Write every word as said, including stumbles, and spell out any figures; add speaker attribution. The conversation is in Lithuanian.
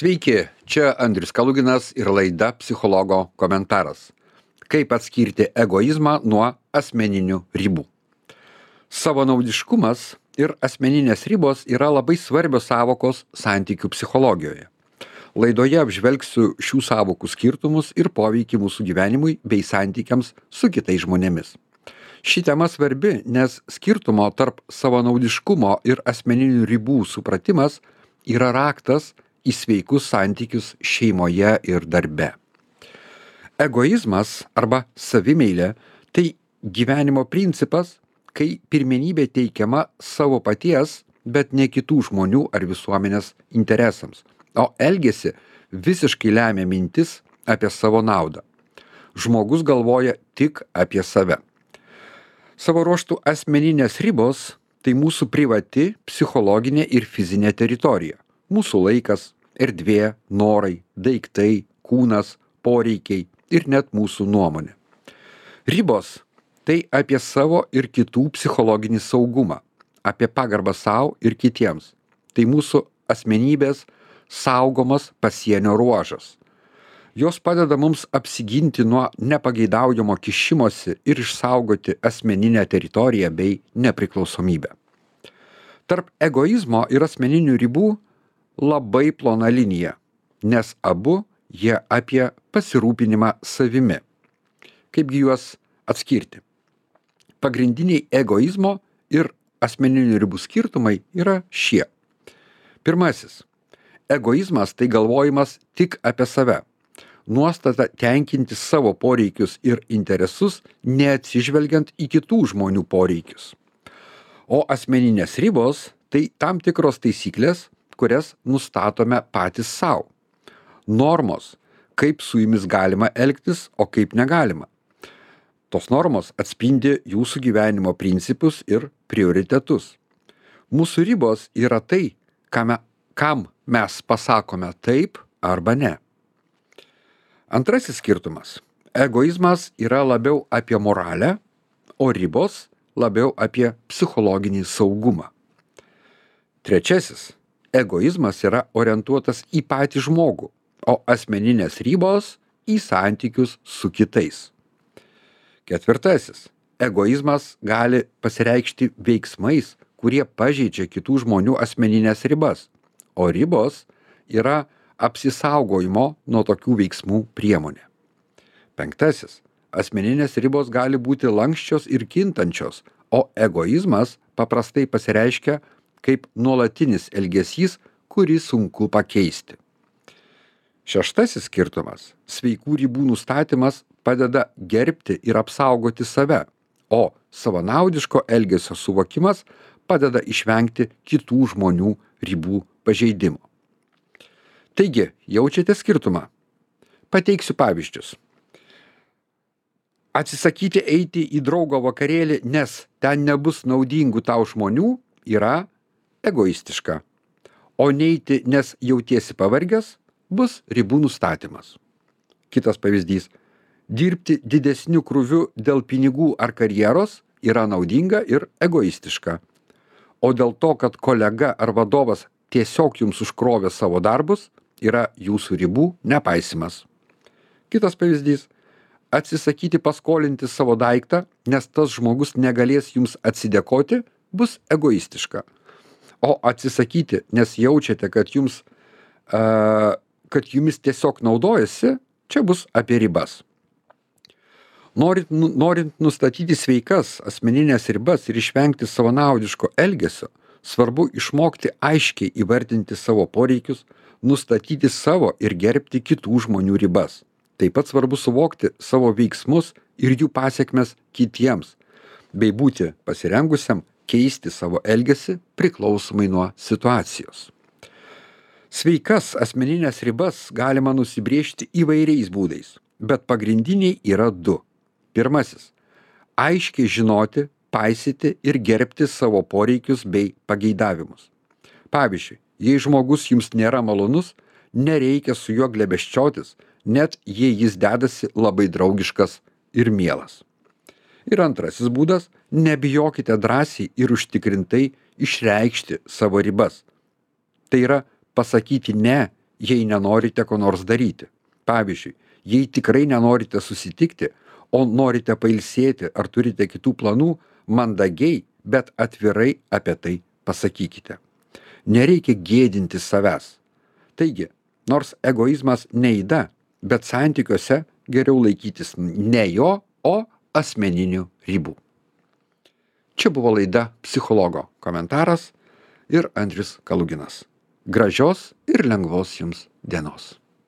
Speaker 1: Sveiki, čia Andrius Kaluginas ir laida Psichologo komentaras. Kaip atskirti egoizmą nuo asmeninių ribų. Savanaudiškumas ir asmeninės ribos yra labai svarbios sąvokos santykių psichologijoje. Laidoje apžvelgsiu šių sąvokų skirtumus ir poveikį mūsų gyvenimui bei santykiams su kitais žmonėmis. Ši tema svarbi, nes skirtumo tarp savanaudiškumo ir asmeninių ribų supratimas yra raktas į sveikus santykius šeimoje ir darbe. Egoizmas arba savimeilė tai gyvenimo principas, kai pirmenybė teikiama savo paties, bet ne kitų žmonių ar visuomenės interesams, o elgesį visiškai lemia mintis apie savo naudą. Žmogus galvoja tik apie save. Savo ruožtų asmeninės ribos tai mūsų privati psichologinė ir fizinė teritorija. Mūsų laikas, erdvė, norai, daiktai, kūnas, poreikiai ir net mūsų nuomonė. Ribos tai apie savo ir kitų psichologinį saugumą, apie pagarbą savo ir kitiems. Tai mūsų asmenybės saugomas pasienio ruožas. Jos padeda mums apsiginti nuo nepageidaujamo kišimosi ir išsaugoti asmeninę teritoriją bei nepriklausomybę. Tarp egoizmo ir asmeninių ribų labai plona linija, nes abu jie apie pasirūpinimą savimi. Kaipgi juos atskirti? Pagrindiniai egoizmo ir asmeninių ribų skirtumai yra šie. Pirmasis. Egoizmas tai galvojimas tik apie save. Nuostata tenkinti savo poreikius ir interesus, neatsižvelgiant į kitų žmonių poreikius. O asmeninės ribos tai tam tikros taisyklės, kurias nustatome patys savo. Normos, kaip su jumis galima elgtis, o kaip negalima. Tos normos atspindi jūsų gyvenimo principus ir prioritetus. Mūsų ribos yra tai, kam, kam mes pasakome taip arba ne. Antrasis skirtumas. Egoizmas yra labiau apie moralę, o ribos labiau apie psichologinį saugumą. Trečiasis. Egoizmas yra orientuotas į patį žmogų, o asmeninės ribos į santykius su kitais. Ketvirtasis. Egoizmas gali pasireikšti veiksmais, kurie pažeidžia kitų žmonių asmeninės ribas, o ribos yra apsisaugojimo nuo tokių veiksmų priemonė. Penktasis. Asmeninės ribos gali būti lanksčios ir kintančios, o egoizmas paprastai pasireiškia kaip nuolatinis elgesys, kurį sunku pakeisti. Šeštasis skirtumas. Sveikų ribų nustatymas padeda gerbti ir apsaugoti save, o savanaudiško elgesio suvokimas padeda išvengti kitų žmonių ribų pažeidimo. Taigi, jaučiate skirtumą? Pateiksiu pavyzdžius. Atsisakyti eiti į draugo vakarėlį, nes ten nebus naudingų tau žmonių, yra egoistiška. O neiti, nes jautiesi pavargęs, bus ribų nustatymas. Kitas pavyzdys. Dirbti didesniu krūviu dėl pinigų ar karjeros yra naudinga ir egoistiška. O dėl to, kad kolega ar vadovas tiesiog jums užkrovė savo darbus, yra jūsų ribų nepaisimas. Kitas pavyzdys. Atsisakyti paskolinti savo daiktą, nes tas žmogus negalės jums atsidėkoti, bus egoistiška. O atsisakyti, nes jaučiate, kad jums, uh, kad jumis tiesiog naudojasi, čia bus apie ribas. Norint, norint nustatyti sveikas asmeninės ribas ir išvengti savanaudiško elgesio, svarbu išmokti aiškiai įvardinti savo poreikius, nustatyti savo ir gerbti kitų žmonių ribas. Taip pat svarbu suvokti savo veiksmus ir jų pasekmes kitiems, bei būti pasirengusiam keisti savo elgesį priklausomai nuo situacijos. Sveikas asmeninės ribas galima nusibrėžti įvairiais būdais, bet pagrindiniai yra du. Pirmasis. Aiškiai žinoti, paisyti ir gerbti savo poreikius bei pageidavimus. Pavyzdžiui, jei žmogus jums nėra malonus, nereikia su juo glebesčiotis, net jei jis dedasi labai draugiškas ir mielas. Ir antrasis būdas – nebijokite drąsiai ir užtikrintai išreikšti savo ribas. Tai yra pasakyti ne, jei nenorite ko nors daryti. Pavyzdžiui, jei tikrai nenorite susitikti, o norite pailsėti ar turite kitų planų, mandagiai, bet atvirai apie tai pasakykite. Nereikia gėdinti savęs. Taigi, nors egoizmas ne yda, bet santykiuose geriau laikytis ne jo, o asmeninių ribų. Čia buvo laida Psichologo komentaras ir Andrius Kaluginas. Gražios ir lengvos jums dienos.